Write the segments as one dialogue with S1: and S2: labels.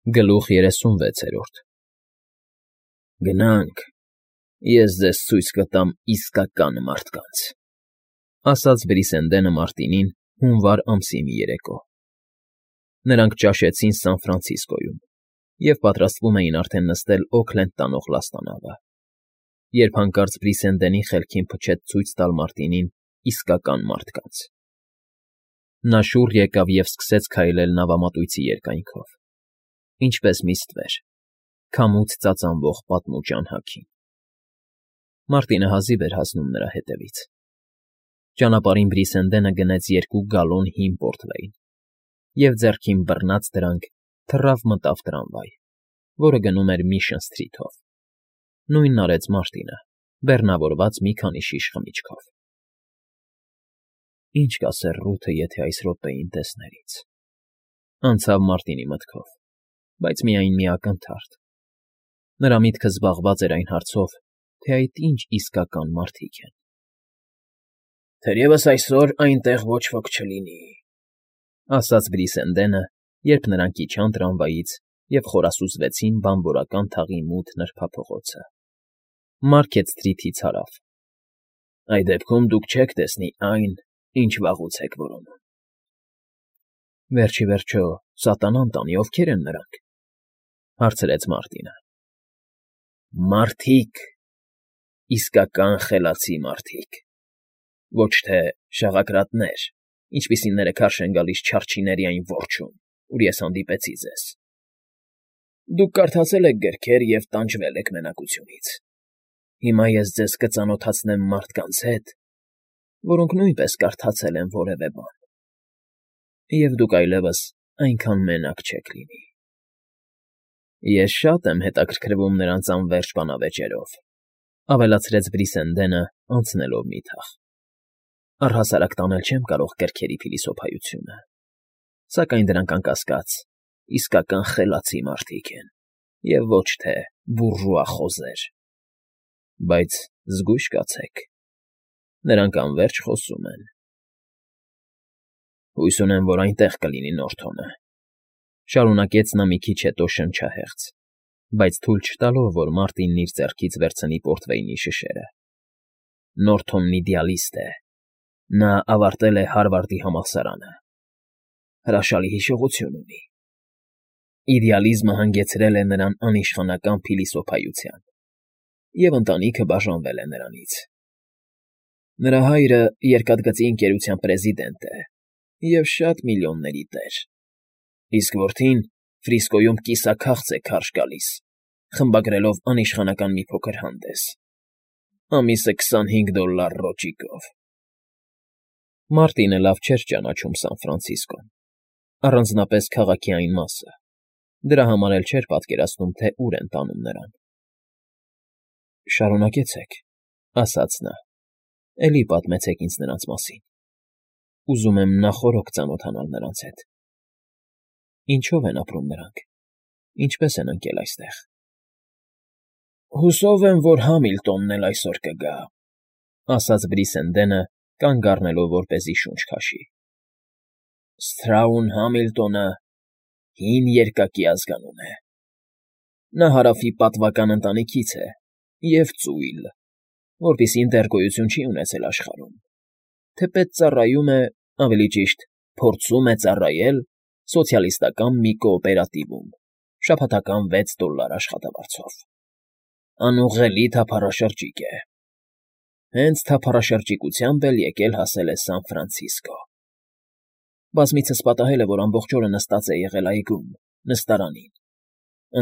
S1: Գլուխ 36 Գնանք, ես ձեզ ցույց կտամ իսկական մարդկանց, ասաց Բրիսենդենը Մարտինին հունվար ամսի մի երեկո. նրանք ճաշեցին Սան Ֆրանցիսկոյում և պատրաստվում էին արդեն նստել Օքլենդ տանող լաստանավը, երբ հանկարծ Բրիսենդենի խելքին փչեց ցույց տալ Մարտինին իսկական մարդկանց. նա շուռ եկավ և սկսեց քայլել նավամատույցի երկայնքով, ինչպես մի ստվեր, քամուց ծածանվող պատմուճ անհագին. Մարտինը հազիվ էր հասնում նրա հետևից. ճանապարհին Բրիսենդենը գնեց 2 գալոն հին պորտվեյն և ձեռքին բռնած դրանք թռավ մտավ տրամվայ, որը գնում էր Միշն Սթրիթով. նույնն արեց Մարտինը, բեռնավորված մի քանի շիշ խմիչքով։ Ինչ կասեր Ռութը, եթե այս րոպեին տեսներ ինձ, անցավ Մարտինի մտքով, բայց միայն մի ակնթարթ. նրա միտքը զբաղված էր այն հարցով, թե այդ ինչ իսկական մարդիկ են։ «Թերևս այսօր այնտեղ ոչ ոք չլինի», ասաց Բրիսենդենը, երբ նրանք իջան տրամվայից և խորասուզվեցին բանվորական թաղի մութ նրբափողոցը։ Մարքեթ Սթրիթից հարավ։ «Այդ դեպքում դուք չեք տեսնի այն, ինչ վաղուց եք որոնում»։ Վերջ ի վերջո, սատանան տանի, ովքեր են նրանք, հարցրեց Մարտինը։ Մարդիկ, իսկական խելացի մարդիկ, ոչ թե շաղակրատներ, ինչպիսիները քարշ են գալիս չարչիների այն որջում, ուր ես հանդիպեցի ձեզ։ Դուք կարդացել եք գրքեր և տանջվել եք մենակությունից։ Հիմա ես ձեզ կծանոթացնեմ մարդկանց հետ, որոնք նույնպես կարդացել են որևէ բան, և դուք այլևս այնքան մենակ չեք լինի։ Ես շատ եմ հետաքրքրվում նրանց անվերջ բանավեճերով, ավելացրեց Բրիսենդենը, անցնելով մի թաղ։ Առհասարակ տանել չեմ կարող գրքերի փիլիսոփայությունը, սակայն դրանք անկասկած իսկական խելացի մարդիկ են, և ոչ թե բուրժուա խոզեր։ Բայց զգույշ կացեք, նրանք անվերջ խոսում են։ Հույս ունեմ, որ այնտեղ կլինի Նորթոնը, շարունակեց նա մի քիչ հետո շնչահեղձ, բայց թույլ չտալով, որ Մարտինն իր ձեռքից վերցնի պորտվեյնի շշերը։ Նորթոնն իդեալիստ է, նա ավարտել է Հարվարդի համալսարանը, հրաշալի հիշողություն ունի։ Իդեալիզմը հանգեցրել է նրան անիշխանական փիլիսոփայության, և ընտանիքը բաժանվել է նրանից։ Նրա հայրը երկաթգծի ընկերության պրեզիդենտ է և շատ միլիոնների տեր, իսկ որդին Ֆրիսկոյում կիսաքաղց է քարշ գալիս, խմբագրելով անիշխանական մի փոքր հանդես, ամիսը $25 ռոճիկով։ Մարտինը լավ չէր ճանաչում Սան Ֆրանցիսկոն, առանձնապես քաղաքի այն մասը, դրա համար էլ չէր պատկերացնում, թե ուր են տանում նրան։ Շարունակեցեք, ասաց նա, էլի պատմեցեք ինձ նրանց մասին։ Ուզում եմ նախօրոք ծանոթանալ նրանց հետ։ Ինչո՞վ են ապրում նրանք, ինչպես են ընկել այստեղ։ Հուսով եմ, որ Համիլտոնն էլ այսօր կգա, ասաց Բրիսենդենը, կանգ առնելով, որպեսզի շունչ քաշի։ Սթրաուն Համիլտոնը հին երկակի ազգանուն է։ Նա Հարավի պատվական ընտանիքից է և ծույլ, որպիսին դեռ գոյություն չի ունեցել աշխարհում, թեպետ ծառայում է, ավելի ճիշտ, փորձում է ծառայել սոցիալիստական մի կոոպերատիվում շաբաթական $6 աշխատավարձով։ Անուղղելի թափառաշրջիկ է։ Հենց թափառաշրջիկությամբ էլ եկել հասել է Սան Ֆրանցիսկո։ Բազմիցս պատահել է, որ ամբողջ օրը նստած է եղել այգում, նստարանին,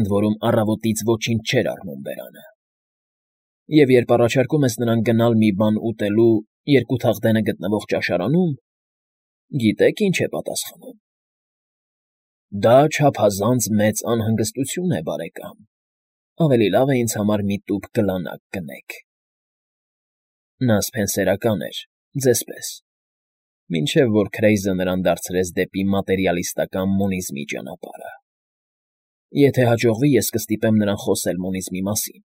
S1: ընդ որում առավոտից ոչինչ չէր առնում բերանը։ Եվ երբ առաջարկում ես նրան գնալ մի բան ուտելու 2 թաղդենը գտնվող ճաշարանում, գիտե՞ք ինչ է պատասխանում։ Դա չափազանց մեծ անհանգստություն է, բարեկամ, ավելի լավ է ինձ համար մի տուփ գլանակ գնեք։ Նա սփենսերական էր, ձեզ պես, մինչև որ Քրեյզը նրան դարձրեց դեպի մատերիալիստական մոնիզմի ճանապարհը։ Եթե հաջողվի, ես կստիպեմ նրան խոսել մոնիզմի մասին։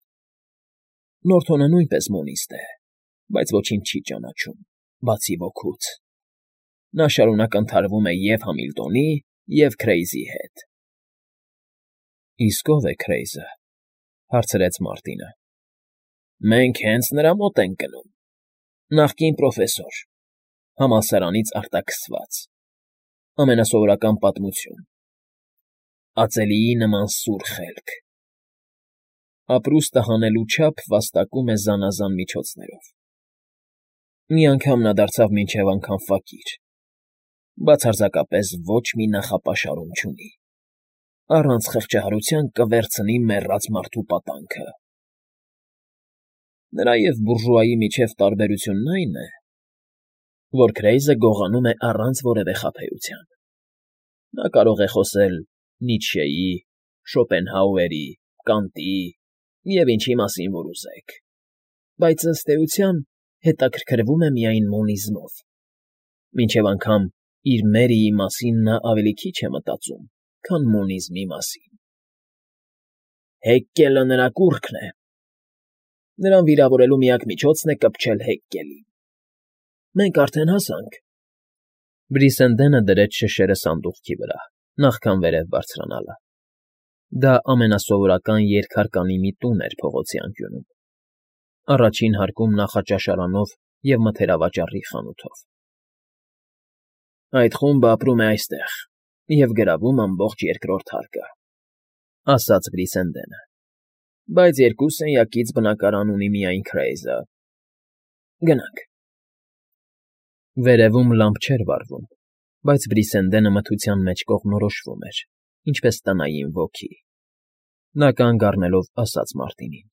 S1: Նորթոնը նույնպես մոնիստ է, բայց ոչինչ չի ճանաչում, բացի ոգուց։ Նա շարունակ ընդհարվում է և Համիլտոնի, և Քրեյզի հետ։ Իսկ ով է Քրեյզը,֊ հարցրեց Մարտինը։ Մենք հենց նրա մոտ ենք գնում, նախկին պրոֆեսոր, համալսարանից արտաքսված, ամենասովորական պատմություն, ածելիի նման սուր խելք, ապրուստը հանելու չափ վաստակում է զանազան միջոցներով։ Մի անգամ նա դարձավ մինչև անգամ ֆակիր, բացարձակապես ոչ մի նախապաշարում չունի, առանց խղճահարության կվերցնի մեռած մարդու պատանքը։ Նրա և բուրժուայի միջև տարբերությունն այն է, որ Քրեյզը գողանում է առանց որևէ խաբեության։ Նա կարող է խոսել Նիցշեի, Շոպենհաուերի, Կանտի և ինչի մասին որ ուզեք, բայց ըստ էության հետաքրքրվում է միայն մոնիզմով, մինչև անգամ իր Մերիի մասին նա ավելի քիչ է մտածում, քան մոնիզմի մասին։ Հեկկելը նրա կուռքն է։ Նրան վիրավորելու միակ միջոցն է կպչել Հեկկելին։ Մենք արդեն հասանք։ Բրիսենդենը դրեց շշերը սանդուղքի վրա, նախքան վերև բարձրանալը։ Դա ամենասովորական երկհարկանի մի տուն էր փողոցի անկյունում, առաջին հարկում նախաճաշարանով և մթերավաճառի խանութով։ Այդ խումբը ապրում է այստեղ և գրավում ամբողջ երկրորդ հարկը,֊ ասաց Բրիսենդենը,֊ բայց երկու սենյակից բնակարան ունի միայն Քրեյզը։ Գնանք։ Վերևում լամպ չէր վառվում, բայց Բրիսենդենը մթության մեջ կողմնորոշվում էր, ինչպես տնային ոգի։ Նա կանգ առնելով ասաց Մարտինին.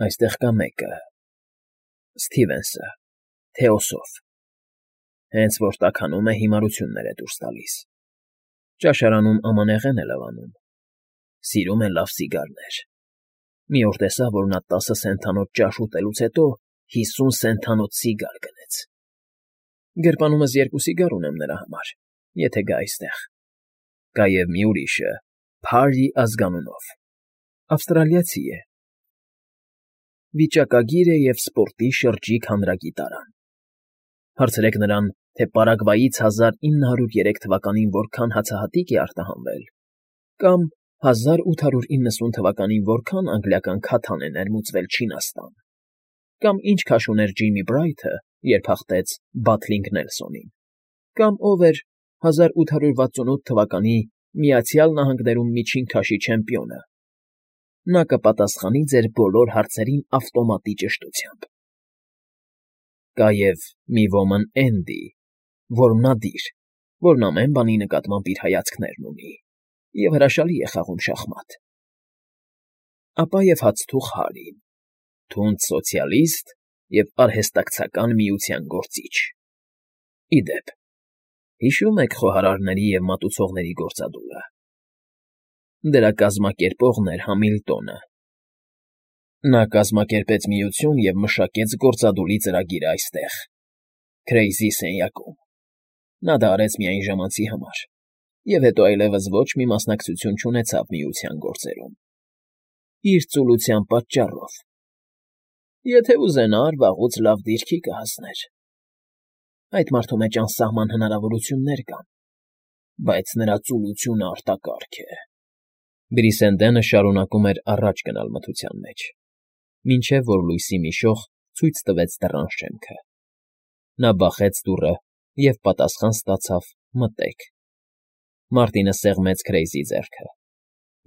S1: Այստեղ կա մեկը, Սթիվենսը, Թեոսոֆ, հենց որ տաքանում է հիմարություններ է դուրս տալիս, ճաշարանում ամանեղեն է լվանում, սիրում է լավ սիգարներ, մի օր տեսա, որ նա 10 սենթանոց ճաշ ուտելուց հետո 50 սենթանոց սիգար գնեց։ Գրպանումս 2 սիգար ունեմ նրա համար, եթե գա այստեղ։ Կա և մի ուրիշը, Փարի ազգանունով, ավստրալիացի է, վիճակագիր է և սպորտի շրջիկ հանրագիտարան։ Հարցրեք նրան, թե Պարագվայից 1903 թվականին որքան հացահատիկ է արտահանվել, կամ 1890 թվականին որքան անգլիական քաթան է ներմուծվել Չինաստան, կամ ինչ քաշ ուներ Ջիմի Բրայթը, երբ հաղթեց Բաթլինգ Նելսոնին, կամ ով էր 1868 թվականի Միացյալ Նահանգներում միջին քաշի չեմպիոնը, նա կպատասխանի ձեր բոլոր հարցերին ավտոմատի ճշտությամբ։ Կա և մի ոմն Էնդի, որմնադիր, որն ամեն բանի նկատմամբ իր հայացքներն ունի և հրաշալի է խաղում շախմատ։ Ապա և հացթուխ Հարին, թունդ սոցիալիստ և արհեստակցական միության գործիչ։ Ի դեպ, հիշո՞ւմ եք խոհարարների և մատուցողների գործադուլը։ Դրա կազմակերպողն էր Համիլտոնը։ Նա կազմակերպեց միություն և մշակեց գործադուլի ծրագիրը այստեղ, Քրեյզի սենյակում։ Նա դա արեց միայն ժամանցի համար և հետո այլևս ոչ մի մասնակցություն չունեցավ միության գործերում։ Իր ծուլության պատճառով։ Եթե ուզենար, վաղուց լավ դիրքի կհասներ։ Այդ մարդու մեջ անսահման հնարավորություններ կան, բայց նրա ծուլությունը արտակարգ է։ Բրիսենդենը շարունակում էր առաջ գնալ մթության մեջ, մինչև որ լույսի մի շող ցույց տվեց դռան շեմքը։ Նա բախեց դուռը և պատասխան ստացավ «մտեք»։ Մարտինը սեղմեց Քրեյզի ձեռքը,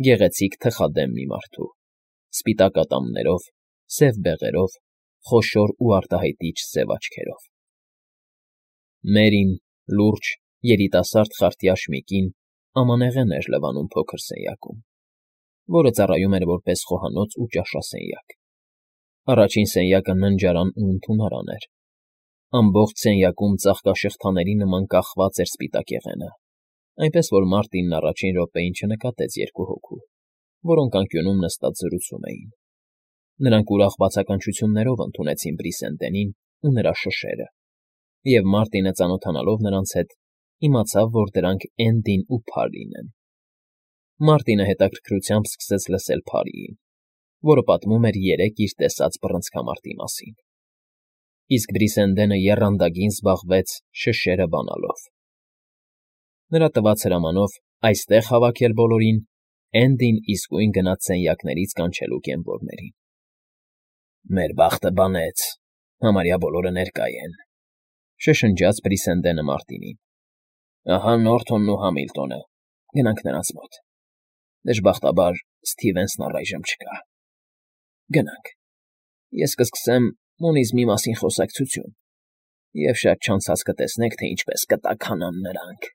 S1: գեղեցիկ թխադեմ մի մարդու, սպիտակ ատամներով, սև բեղերով, խոշոր ու արտահայտիչ սև աչքերով։ Մերին, լուրջ, երիտասարդ խարտյաշ մի կին, ամանեղեն էր լվանում փոքր սենյակում, որը ծառայում էր որպես խոհանոց ու ճաշասենյակ։ Առաջին սենյակը ննջարան ու ընդունարան էր։ Ամբողջ սենյակում ծաղկաշղթաների նման կախված էր սպիտակեղենը, այնպես որ Մարտինն առաջին րոպեին չնկատեց երկու հոգու, որոնք անկյունում նստած զրուցում էին։ Նրանք ուրախ բացականչություններով ընդունեցին Բրիսենդենին ու նրա շշերը, և Մարտինը ծանոթանալով նրանց հետ, իմացավ, որ դրանք Էնդին ու Փարին են։ Մարտինը հետաքրքրությամբ սկսեց լսել Փարիին, որը պատմում էր երեկ իր տեսած բռնցքամարտի մասին, իսկ Բրիսենդենը եռանդագին զբաղվեց շշերը բանալով։ Նրա տված հրամանով այստեղ հավաքել բոլորին Էնդին իսկույն գնաց սենյակներից կանչելու կեմպորներին։ ֊ Մեր բախտը բանեց, համարյա բոլորը ներկա են,֊ շշնջաց Բրիսենդենը Մարտինին։ ֊ Ահա Նորթոնն ու Համիլտոնը, գնանք նրանց մոտ… Դժբախտաբար Սթիվենսն առայժմ չկա… Գնանք… Ես կսկսեմ մոնիզմի մասին խոսակցություն, և շատ չանցած կտեսնեք, թե ինչպես կտաքանան նրանք։